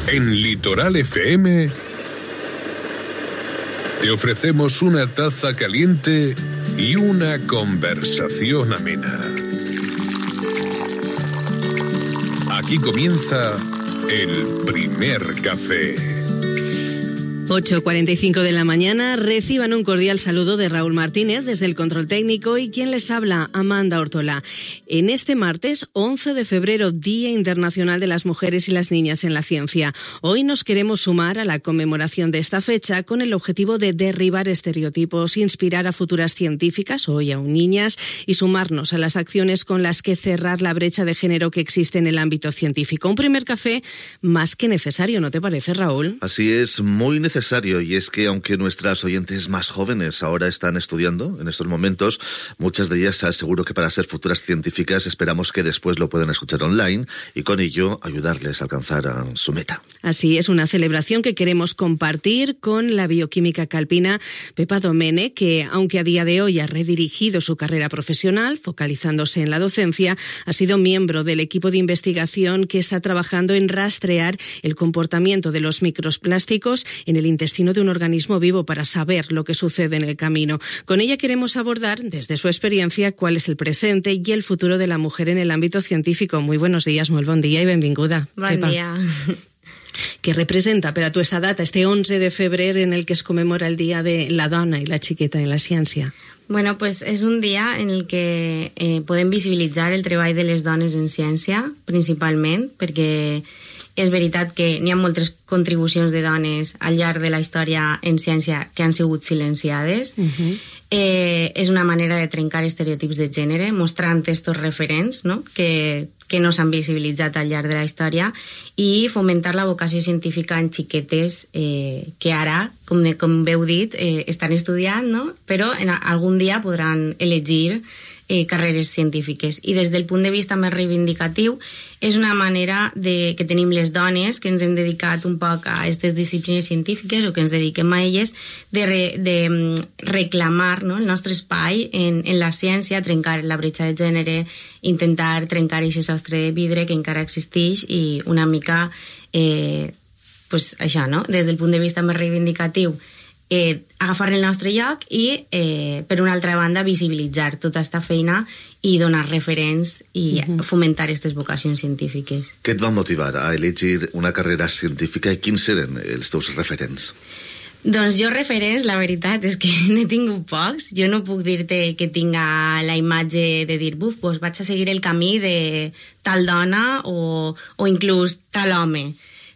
En Litoral FM te ofrecemos una taza caliente y una conversación amena. Aquí comienza el primer café. 8:45 de la mañana, reciban un cordial saludo de Raúl Martínez desde el control técnico y quien les habla, Amanda Ortola. En este martes 11 de febrero, Día Internacional de las Mujeres y las Niñas en la Ciencia. Hoy nos queremos sumar a la conmemoración de esta fecha con el objetivo de derribar estereotipos, inspirar a futuras científicas, hoy aún niñas, y sumarnos a las acciones con las que cerrar la brecha de género que existe en el ámbito científico. Un primer café más que necesario, ¿no te parece, Raúl? Así es, muy necesario, y es que aunque nuestras oyentes más jóvenes ahora están estudiando en estos momentos, muchas de ellas seguro que para ser futuras científicas esperamos que después lo puedan escuchar online y con ello ayudarles a alcanzar su meta. Así es, una celebración que queremos compartir con la bioquímica calpina Pepa Domene, que aunque a día de hoy ha redirigido su carrera profesional, focalizándose en la docencia, ha sido miembro del equipo de investigación que está trabajando en rastrear el comportamiento de los microplásticos en el intestino de un organismo vivo para saber lo que sucede en el camino. Con ella queremos abordar, desde su experiencia, cuál es el presente y el futuro de la mujer en el ámbito científico. Muy buenos días, molt bon dia i benvinguda. Bon dia. ¿Qué representa per a tu esta data, este 11 de febrer en el que es conmemora el Día de la Dona i la Xiqueta en la Ciència? Bueno, pues és un dia en el que podem visibilitzar el treball de les dones en ciència, principalment, perquè és veritat que n'hi ha moltes contribucions de dones al llarg de la història en ciència que han sigut silenciades. És una manera de trencar estereotips de gènere, mostrant estos referents, no? que no s'han visibilitzat al llarg de la història, i fomentar la vocació científica en xiquetes que ara, com bé heu dit, estan estudiant, no? Però algun dia podran elegir carreres científiques. I des del punt de vista més reivindicatiu, és una manera que tenim les dones que ens hem dedicat un poc a aquestes disciplines científiques o que ens dediquem a elles de reclamar, no, el nostre espai en la ciència, trencar la bretxa de gènere, intentar trencar aquest sostre de vidre que encara existeix i una mica pues això, no? Des del punt de vista més reivindicatiu, agafar el nostre lloc i, per una altra banda, visibilitzar tota aquesta feina i donar referents i fomentar aquestes vocacions científiques. Què et va motivar a elegir una carrera científica i quins eren els teus referents? Doncs jo referents, la veritat és que n'he tingut pocs. Jo no puc dir-te que tinga la imatge de dir, buf, doncs vaig a seguir el camí de tal dona o inclús tal home.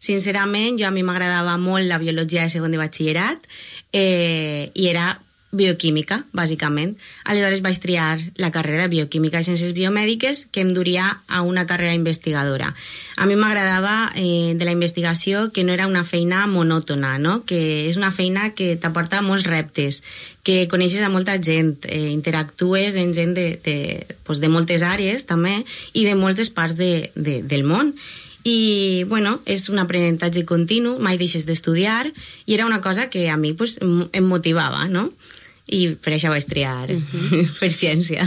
Sincerament, a mi m'agradava molt la biologia de segon de batxillerat i era bioquímica, bàsicament. Aleshores vaig triar la carrera de bioquímica i ciències biomèdiques que em duria a una carrera investigadora. A mi m'agradava de la investigació que no era una feina monòtona, no? Que és una feina que t'aporta molts reptes, que coneixes a molta gent, interactues amb gent de moltes àrees també i de moltes parts del món. I, bueno, és un aprenentatge continu, mai deixes d'estudiar, i era una cosa que a mi pues, em motivava, no? I per això vaig triar fer ciència.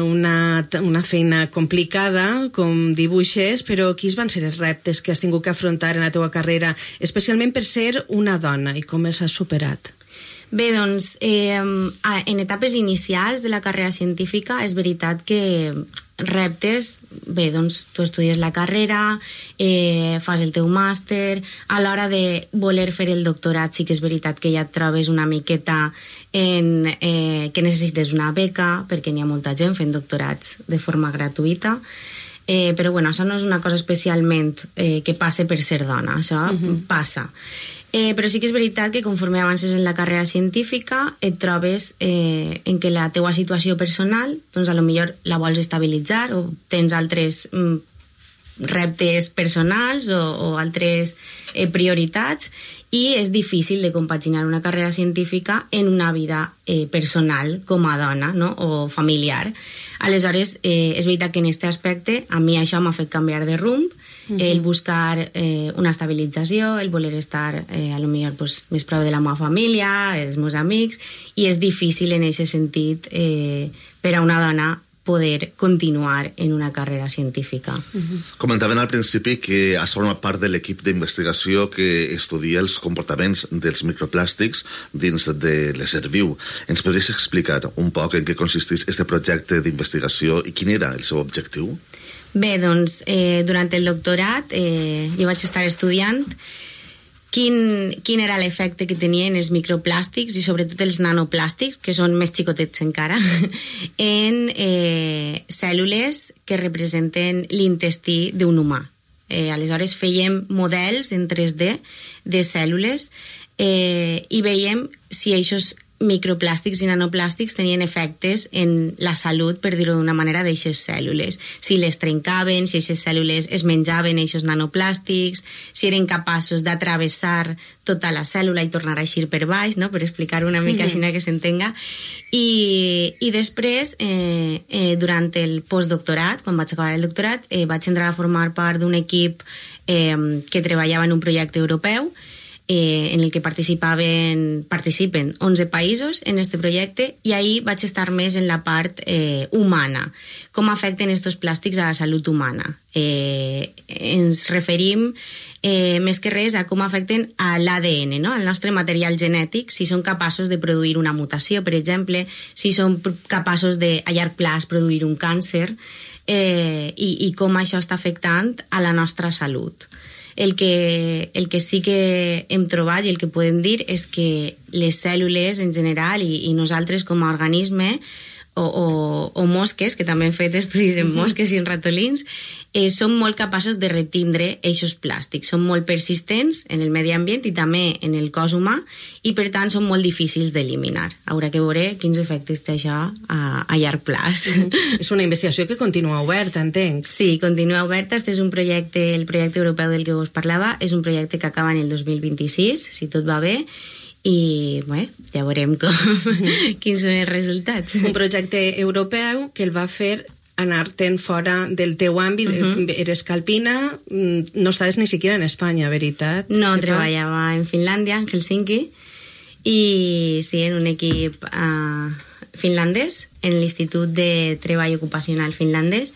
Una feina complicada, com dibuixes, però quins van ser els reptes que has tingut que afrontar en la teva carrera, especialment per ser una dona, i com els has superat? Bé, doncs, en etapes inicials de la carrera científica és veritat que reptes, bé, doncs tu estudies la carrera, fas el teu màster, a l'hora de voler fer el doctorat sí que és veritat que ja et trobes una miqueta que necessites una beca, perquè n'hi ha molta gent fent doctorats de forma gratuïta, però bueno, això no és una cosa especialment que passe per ser dona, això passa. Però sí que és veritat que conforme avances en la carrera científica et trobes en què la teua situació personal doncs a lo millor la vols estabilitzar o tens altres reptes personals o altres prioritats i és difícil de compaginar una carrera científica en una vida personal com a dona, no? O familiar. Aleshores, és veritat que en aquest aspecte a mi això m'ha fet canviar de rumb, el buscar una estabilització, el voler estar a lo millor pues, més prop de la meva família, dels meus amics, i és difícil en aquest sentit per a una dona poder continuar en una carrera científica. Comentaven al principi que has format part de l'equip d'investigació que estudia els comportaments dels microplàstics dins de l'ésser viu. Ens podries explicar un poc en què consisteix aquest projecte d'investigació i quin era el seu objectiu? Bé, doncs, durant el doctorat jo vaig estar estudiant quin era l'efecte que tenien els microplàstics i sobretot els nanoplàstics, que són més xicotets encara, en cèl·lules que representen l'intestí d'un humà. Aleshores fèiem models en 3D de cèl·lules i veiem si aquests microplàstics i nanoplàstics tenien efectes en la salut, per dir-ho d'una manera, d'aixes cèl·lules. Si les trencaven, si aquestes cèl·lules es menjaven aquests nanoplàstics, si eren capaços d'atravessar tota la cèl·lula i tornar a eixir per baix, no? Per explicar una mica així que s'entenga. I després, durant el postdoctorat, quan vaig acabar el doctorat, vaig entrar a formar part d'un equip que treballava en un projecte europeu en el que participen 11 països en este projecte, i ahí vaig estar més en la part humana, com afecten estos plàstics a la salut humana. Ens referim més que res a com afecten a l'ADN, no? Al nostre material genètic, si són capaços de produir una mutació, per exemple, si són capaços de, a llarg plaç, produir un càncer, i com això està afectant a la nostra salut. El que sí que hem trobat i el que podem dir és que les cèl·lules en general i nosaltres com a organisme o mosques, que també hem fet estudis en mosques i en ratolins, són molt capaços de retindre aquests plàstics. Són molt persistents en el medi ambient i també en el cos humà i per tant són molt difícils d'eliminar. Haurà que veure quins efectes té això a llarg plaç. És una investigació que continua oberta, entenc. Sí, continua oberta. Este és un projecte, el projecte europeu del que us parlava, és un projecte que acaba en el 2026, si tot va bé, i bé, ja veurem quins són els resultats. Un projecte europeu que el va fer anar-te'n fora del teu àmbit. Eres calpina, no estaves ni siquiera en Espanya, veritat? No, treballava en Finlàndia, en Helsinki, i sí, en un equip finlandès, en l'Institut de Treball Ocupacional finlandès,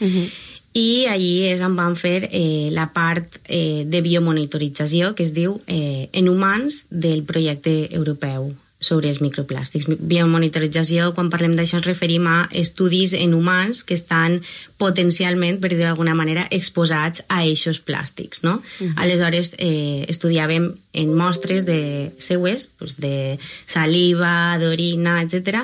i allí és on van fer la part de biomonitorització, que es diu en humans, del projecte europeu sobre els microplàstics. Biomonitorització, quan parlem d'això, ens referim a estudis en humans que estan potencialment, per dir d'alguna manera, exposats a aquests plàstics, no? Aleshores, estudiàvem en mostres seues, de saliva, d'orina, etc.,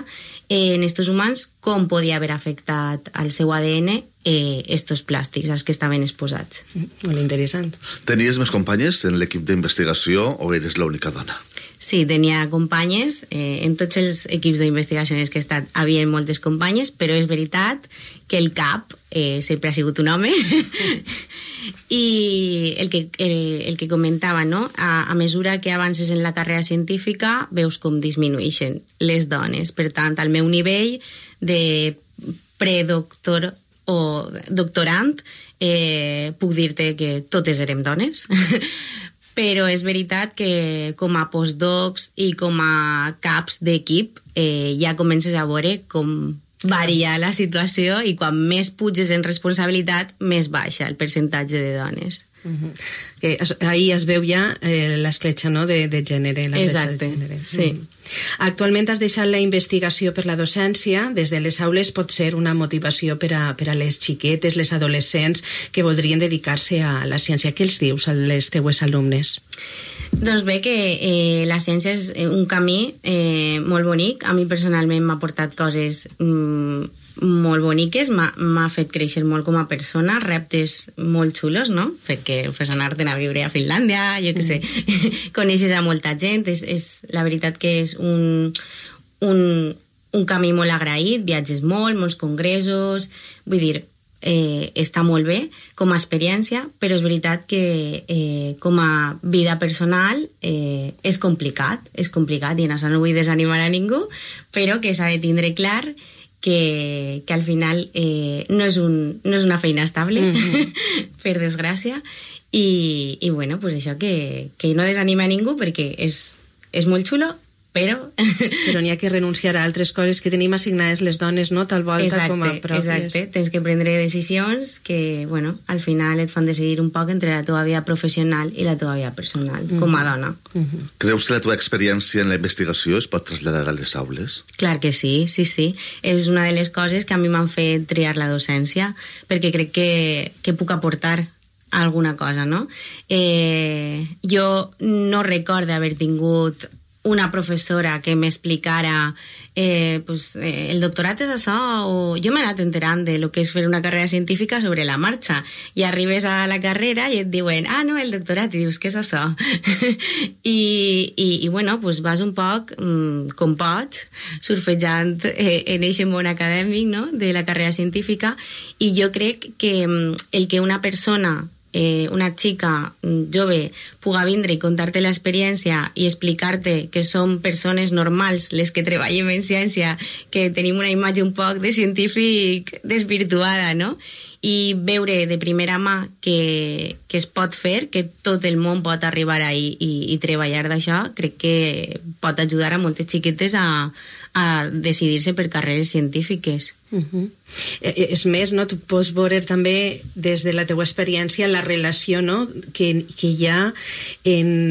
en estos humans, com podia haver afectat al seu ADN estos plàstics als que estaven exposats. Molt interessant. Tenies més companyes en l'equip d'investigació o eres l'única dona? Sí, tenia companyes. En tots els equips d'investigació en els que he estat havia moltes companyes, però és veritat que el cap sempre ha sigut un home. I el que comentava, no? A mesura que avances en la carrera científica veus com disminueixen les dones. Per tant, al meu nivell de predoctor o doctorant puc dir-te que totes érem dones. Però és veritat que com a postdocs i com a caps d'equip ja comences a veure com varia la situació i quan més puges en responsabilitat, més baixa el percentatge de dones. Ahí es veu ja l'escletxa, no?, de gènere, la bretxa de gènere. Sí. Actualment has deixat la investigació per la docència. Des de les aules pot ser una motivació per a les xiquetes, les adolescents que voldrien dedicar-se a la ciència. Què els dius a les teues alumnes? Doncs bé, que la ciència és un camí molt bonic. A mi personalment m'ha portat coses molt boniques, m'ha fet créixer molt com a persona, reptes molt xulos, no? Perquè fes anar-te'n a viure a Finlàndia, jo què sé, coneixes a molta gent, és la veritat que és un camí molt agraït, viatges molts congressos, vull dir, està molt bé com a experiència, però és veritat que com a vida personal és complicat i en això no vull desanimar a ningú, però que s'ha de tindre clar que al final no és una feina estable, per desgràcia, i bueno, pues això, que no desanima a ningú perquè és molt xulo però n'hi ha que renunciar a altres coses que tenim assignades les dones, no? Tal volta com a pròpies. Exacte, tens que prendre decisions que, bueno, al final et fan decidir un poc entre la teva vida professional i la teva vida personal, com a dona. Creus que la teva experiència en la investigació es pot traslladar a les aules? Clar que sí, sí, sí. És una de les coses que a mi m'han fet triar la docència, perquè crec que puc aportar alguna cosa, no? Jo no recordo haver tingut una professora que m'explicara el doctorat és això, o jo m'he anat enterant de lo que és fer una carrera científica sobre la marxa, i arribes a la carrera i et diuen, no, el doctorat, i dius, què és això? I bueno, pues vas un poc com pots, surfejant en aquest món acadèmic, no?, de la carrera científica, i jo crec que el que una persona, una xica jove, puga vindre i contar-te l'experiència i explicar-te que són persones normals les que treballem en ciència, que tenim una imatge un poc de científic desvirtuada, no? I veure de primera mà que es pot fer, que tot el món pot arribar ahí i treballar d'això, crec que pot ajudar a moltes xiquetes a decidir-se per carreres científiques. És més, no? Tu pots veure també des de la teua experiència la relació, no?, que hi ha en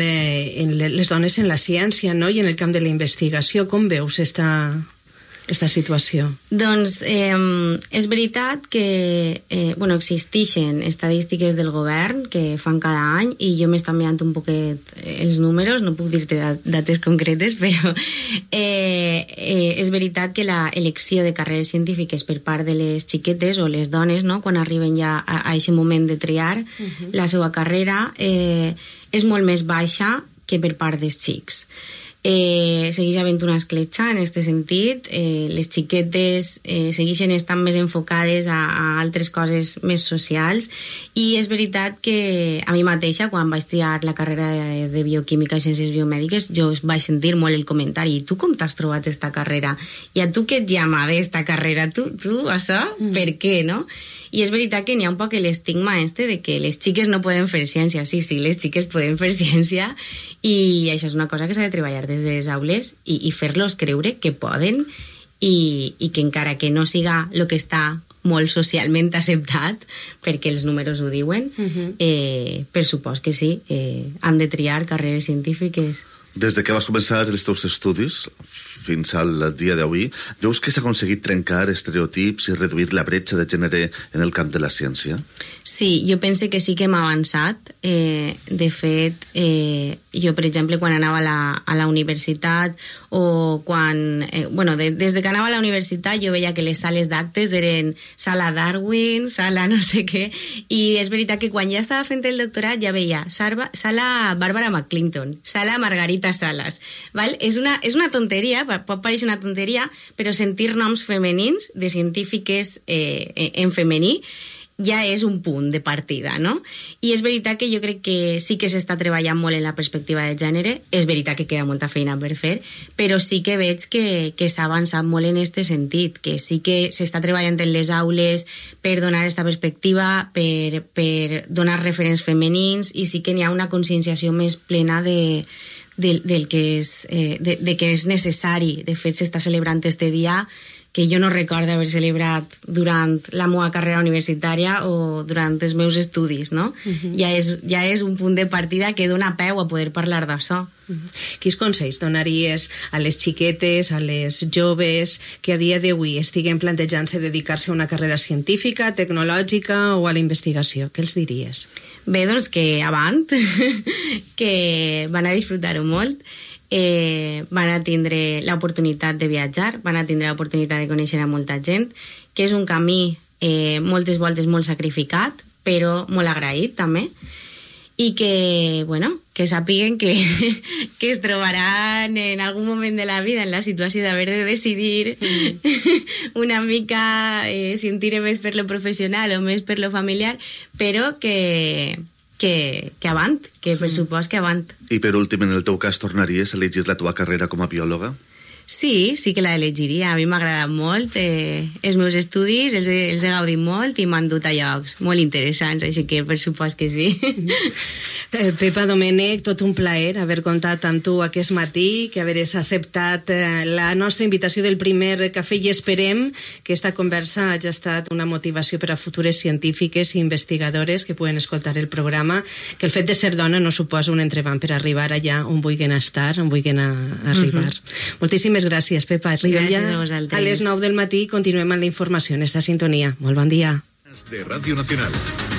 les dones en la ciència, no?, i en el camp de la investigació. Com veus esta situació? Doncs és veritat que existeixen estadístiques del govern que fan cada any, i jo m'he estat mirant un poquet els números, no puc dir-te dates concretes, però és veritat que l'elecció de carreres científiques per part de les xiquetes o les dones, no?, quan arriben ja a aquest moment de triar la seva carrera, és molt més baixa que per part dels xics. Segueix havent una escletxa en aquest sentit. Les xiquetes segueixen estant més enfocades a altres coses més socials, i és veritat que a mi mateixa, quan vaig triar la carrera de bioquímica i ciències biomèdiques, jo vaig sentir molt el comentari, tu com t'has trobat esta carrera? I a tu què et llama d'esta carrera? Tu això? Per què, no? I és veritat que n'hi ha un poc l'estigma de que les xiques no poden fer ciència. Sí, les xiques poden fer ciència, i això és una cosa que s'ha de treballar des de les aules i fer-los creure que poden, i que encara que no siga el que està molt socialment acceptat, perquè els números ho diuen, per supost que sí, han de triar carreres científiques. Des de que vas començar els teus estudis fins al dia d'avui, veus que s'ha aconseguit trencar estereotips i reduir la bretxa de gènere en el camp de la ciència? Sí, jo penso que sí que hem avançat. De fet, jo, per exemple, quan anava a la universitat, o quan... des de que anava a la universitat jo veia que les sales d'actes eren sala Darwin, sala no sé què, i és veritat que quan ja estava fent el doctorat ja veia sala Barbara McClinton, sala Margarita Salas, val? És una tonteria, pot pareixer una tonteria, però sentir noms femenins de científiques en femení ja és un punt de partida, no? I és veritat que jo crec que sí que s'està treballant molt en la perspectiva de gènere, és veritat que queda molta feina per fer, però sí que veig que s'ha avançat molt en aquest sentit, que sí que s'està treballant en les aules per donar aquesta perspectiva, per donar referents femenins, i sí que n'hi ha una conscienciació més plena del que és necessari. De fet, s'està celebrant este dia que jo no recordo haver celebrat durant la meva carrera universitària o durant els meus estudis, no? Ja és un punt de partida que dona peu a poder parlar d'això. Quins consells donaries a les xiquetes, a les joves que a dia d'avui estiguen plantejant-se dedicar-se a una carrera científica, tecnològica o a la investigació? Què els diries? Bé, doncs que avant, que van a disfrutar-ho molt, van a tindre l'oportunitat de viatjar, van a tindre l'oportunitat de conèixer a molta gent, que és un camí moltes voltes molt sacrificat, però molt agraït també, i que sàpiguen que es trobaran en algun moment de la vida en la situació d'haver de decidir una mica si en tire més per lo professional o més per lo familiar, però que avant, que per supost que avant. I per últim, en el teu cas, tornaries a elegir la teva carrera com a biòloga? Sí que la elegiria. A mi m'ha agradat molt. Els meus estudis els he gaudit molt i m'han dut a llocs molt interessants, així que per supost que sí. Pepa Domènech, tot un plaer haver comptat amb tu aquest matí, que haveres acceptat la nostra invitació del primer cafè, i esperem que esta conversa hagi estat una motivació per a futures científiques i investigadores que puguen escoltar el programa, que el fet de ser dona no suposa un entrebanc per arribar allà on vulguin estar, on vulguin arribar. Moltíssimes gràcies, Pepa. Arribem ja a les 9 del matí i continuem amb la informació en esta sintonia. Molt bon dia. De Radio Nacional.